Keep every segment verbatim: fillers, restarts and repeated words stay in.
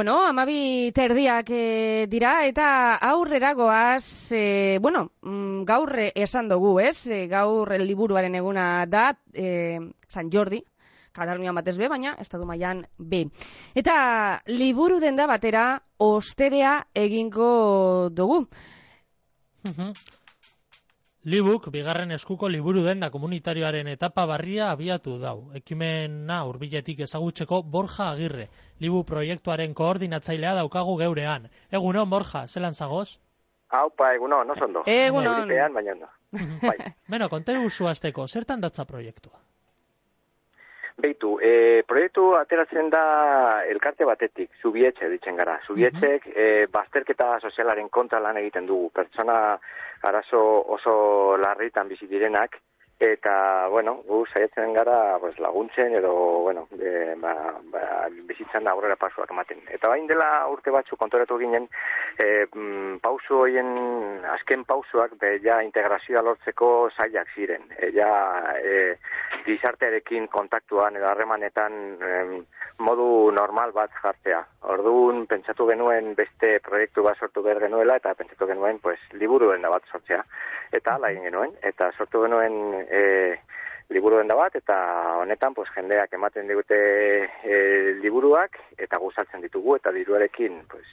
Bueno, amabi terdiak e, dira, eta aurrera goaz, e, bueno, mm, gaur esan dugu, ez? E, gaur liburuaren eguna da, e, San Jordi, Katalunian batez be, baina estatu mailan be. Eta liburu denda batera osterea egingo dugu. Uh-huh. Libuk, bigarren eskuko liburu denda komunitarioaren etapa barria abiatu dau. Ekimena hurbiletik ezagutzeko Borja Agirre, Libu proiektuaren koordinatzailea daukagu geurean. Egunon, Borja, zelan zagoz? Haupa, egunon, no zondo. Egunon. Euripean, baina no. Bai. Beno, konteru zuazteko, zertan datza proiektua? Beitu, e, proiektu ateratzen da elkarte batetik, Zubietxe ditzen gara. Zubietxek uh-huh. e, bazterketa sozialaren kontra lan egiten dugu. Pertsona arazo oso larritan bizi direnak, eta, bueno, gu saiatzen gara pues, laguntzen edo, bueno, e, ba, ba, bizitzan da aurrera pausuak ematen. Eta bain dela urte batzu kontoratu ginen, e, pausu horien, azken pausuak, be, ja integrazioa lortzeko zailak ziren. E, ja, e, gizartearekin kontaktuan edo harremanetan em, modu normal bat jartzea. Orduan, pentsatu genuen beste proiektu bat sortu behar genuela, eta pentsatu genuen, pues, liburu denda bat sortzea. Eta ala egin genuen, eta sortu genuen e, liburu denda bat, eta honetan, pues, jendeak ematen digute e, liburuak, eta gustatzen ditugu, eta diruarekin, pues,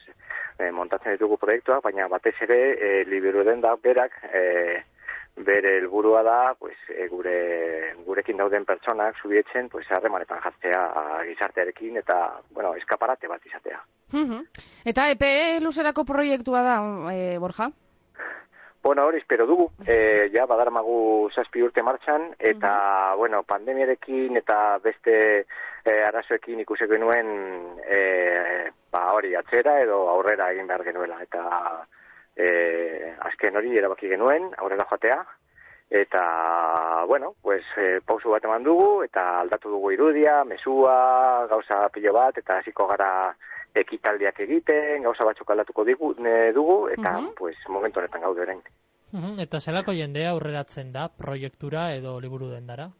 e, montatzen ditugu proiektuak, baina batez ere, e, liburu denda berak, e, bere helburua da, pues, e, gure gurekin dauden pertsonak Zubietzen, pues, harremanetan jartzea gizartearekin eta, bueno, eskaparate bat izatea. Uh-huh. Eta epe luzerako proiektua da, e, Borja? Bueno, hori espero dugu. E, ja, badarmagu zazpi urte martxan, eta, uh-huh. bueno, pandemiarekin eta beste e, arazoekin ikusek genuen e, ba, hori atzera edo aurrera egin behar genuela. Eta E, azken hori erabaki genuen, aurrera joatea, eta, bueno, pues, e, pausu bat eman dugu, eta aldatu dugu irudia, mesua, gauza pilo bat, eta hasiko gara ekitaldiak egiten, gauza batzuk aldatuko digu, ne, dugu, eta, uh-huh. pues, momentu honetan gaude orain. Uh-huh. Eta zelako jendea aurreratzen da proiektura edo liburu dendara?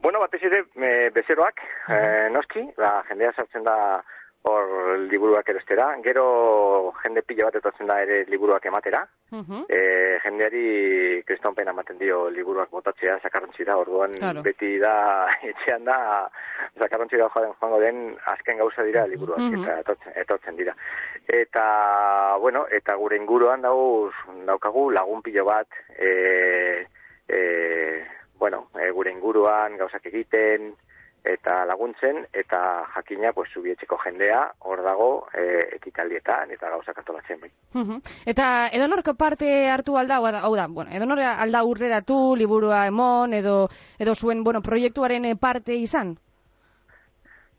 Bueno, batez ere, e, bezeroak, uh-huh. e, noski, ba, jendea sartzen da hor liburuak erostera, gero jende pila bat etortzen da ere liburuak ematera, uh-huh. e, jendeari kristonpena ematen dio liburuak botatzea, sakarrontzi da, orduan claro. Beti da, etxean da, sakarrontzi da joango den azken gauza dira liburuak, uh-huh. eta etortzen, etortzen dira. Eta, bueno, eta gure inguruan dauz, daukagu lagun pilo bat, e, e, bueno, e, gure inguruan gauzak egiten, eta laguntzen, eta jakina, pues, Zubietxeko jendea, hor dago, e, ekitaldietan, eta gauzak antolatzen bai. Uh-huh. Eta edonorko parte hartu alda, hau da, bueno, edonor alda urreratu, liburua emon, edo, edo zuen, bueno, proiektuaren parte izan?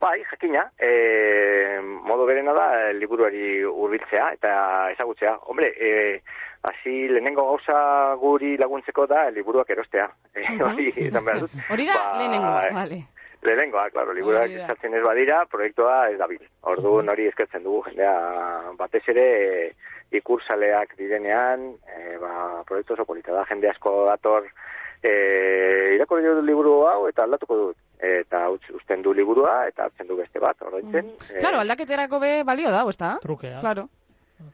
Bai, jakina, e, modu berena da, liburuari hurbiltzea eta ezagutzea. Hombre, e, hasi lehenengo gauza guri laguntzeko da, liburuak erostea. Uh-huh. Hori, izan behar dut. Hori da, ba, lehenengoa, vale. Lehenengoa, klaro, liburuak eskatzen ez badira, proiektua ez dabil. Orduan hori eskertzen dugu, jendea batez ere e, ikursaleak direnean, e, ba, proiektu oso polita da, jende asko dator, e, irakurri dut liburu hau eta aldatuko dut. Eta usten du liburua eta hartzen du beste bat, ordaintzen. Mm. E, claro, aldaketerako be balio da, ezta? Trukea. Claro.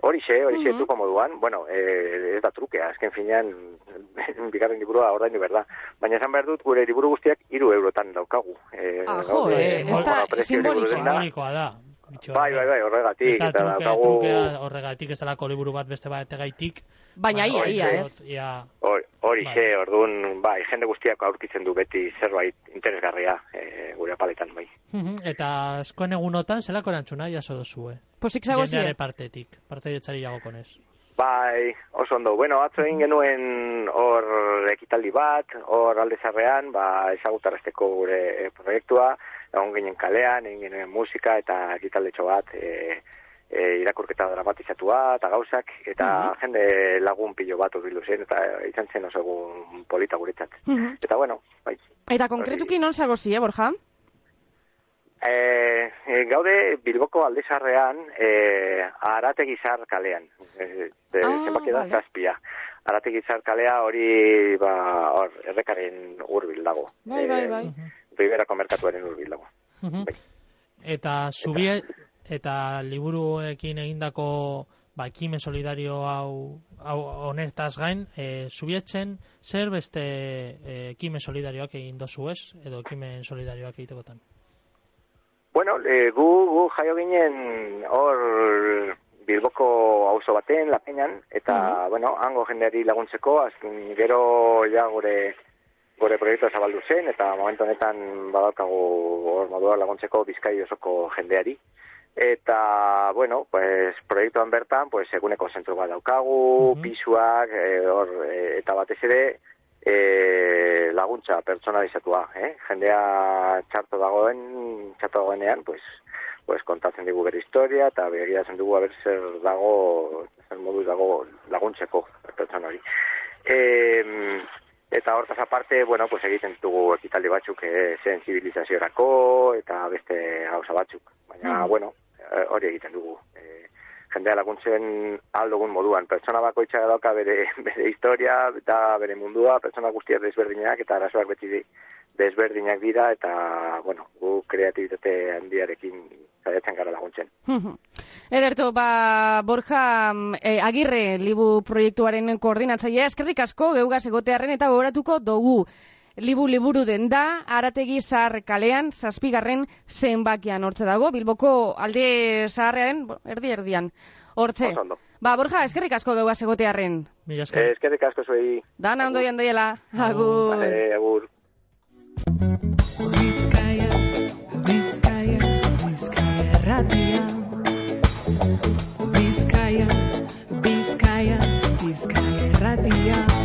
Horixe, horixe, uh-huh. Tuko moduan, bueno, eh, ez da trukea, azken finean, bigarren liburua ordaindu berda. Baina esan behar dut, gure liburu guztiak hiru eurotan daukagu. Eh, ah, jo, eh, ez da simbolikoa da. Bai, bai, bai, horregatik. Eta truke, daukagu... trukea horregatik ez dalako liburu bat beste bat egaitik. Baina ia, ia, ez? Horixe, bai. Orduan, bai, jende guztiak aurkitzen du beti zerbait interesgarria e, gure apaletan, bai. Eta askoen egunotan, zelako erantzuna jaso dozue? Posik zago zie? Jendeare partetik, parte dietxari jago konez. Bai, oso ondo. Bueno, atzo egin genuen hor ekitaldi bat, hor aldezarrean, ba, ezagutarazteko gure proiektua, egon ginen kalean, egin genuen musika eta ekitaldetxo bat, e, e, irakurketa dramatizatua eta gauzak, eta uh-huh. jende lagun pilo bat urbildu zen, eta izan zen oso egun polita guretzat. Uh-huh. Eta bueno, bai. Eta konkretuki non zagozi, eh, Borja? E, e, gaude Bilboko aldezarrean e, Arategizar kalean e, e, ah, zenbaki da vale. Zazpia Arategizar kalea hori ba, hor, errekaren hurbil dago bai, bai, bai. Riberako merkatuaren hurbil dago uh-huh. bai. Eta zubie, eta liburuekin egindako ba, ekimen solidario hau, hau honetaz gain, e, Zubietzen zer beste e, ekimen solidarioak egin dozu ez, edo ekimen solidarioak egitekotan? Bueno, e, gu, gu jaio ginen hor Bilboko auzo baten, La Peñan, eta, mm-hmm. bueno, hango jendeari laguntzeko, azken gero ja gure gure proiektua zabaldu zen, eta momentu honetan badaukagu hor modua laguntzeko Bizkai osoko jendeari. Eta, bueno, pues, proiektuan bertan, pues, eguneko zentru bat daukagu, mm-hmm. pisuak, e, or, e, eta batez ere, e, laguntza pertsonalizatua, eh? Jendea txarto dagoen, txarto dagoenean, pues, pues, kontatzen digu bere historia, eta begiratzen dugu haber zer dago, zer moduz dago laguntzeko pertsona hori. E, eta hortaz aparte, bueno, pues, egiten dugu ekitaldi batzuk e, sensibilizaziorako, eta beste gauza batzuk. Baina, mm. bueno, hori egiten dugu. E, jendea laguntzen aldogun moduan. Pertsona bakoitza dauka bere, bere historia, eta bere mundua, pertsona guztiak desberdinak, eta arazoak beti desberdinak dira, eta, bueno, gu kreatibitate handiarekin saiatzen gara laguntzen. Ederto, ba, Borja eh, Agirre, Libu proiektuaren koordinatzailea, eskerrik asko geugaz egotearren eta gogoratuko dugu. Libu liburu den da, Arategi Zahar kalean, zazpigarren zenbakian hortze dago, Bilboko alde zaharrean, erdi-erdian, hortze. Ba, Borja, eskerrik asko geugaz egotearren. Eh, eskerrik asko zuei. Dana ondo jandoiela. Agur. Vale, agur. Bizkaia, Bizkaia, Bizkaia erratia. Bizkaia, Bizkaia, Bizkaia erratia.